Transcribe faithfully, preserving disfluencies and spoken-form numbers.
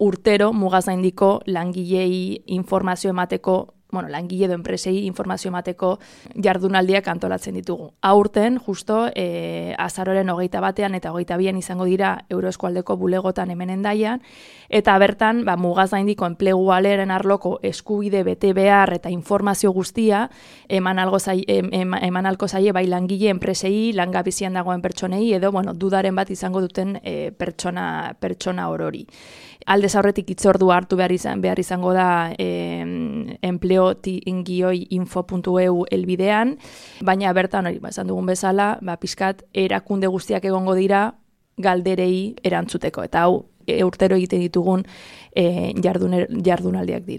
urtero mugazaindiko langilei informazio emateko, bueno, langile edo enpresei informazio emateko jardunaldiak antolatzen ditugu. Aurten, justo, e, azaroren hogeita batean eta hogeita bian izango dira Euroeskualdeko bulegotan hemen Hendaian, eta bertan, ba, mugazaindiko enplegu aleren arloko eskubide bete behar eta informazio guztia eman algo zai, em, em, eman alko zaie bai langile enpresei, langabezian dagoen pertsonei, edo, bueno, dudaren bat izango duten e, pertsona, pertsona orori. Aldez aurretik hitzordua hartu behar, izan, behar izango da eh, empleoti-info puntu e u elbidean, baina bertan hori, ba, esan dugun bezala, ba, pixkat erakunde guztiak egongo dira galderei erantzuteko, eta hau e, urtero egiten ditugun e, jardun, jardunaldiak dira.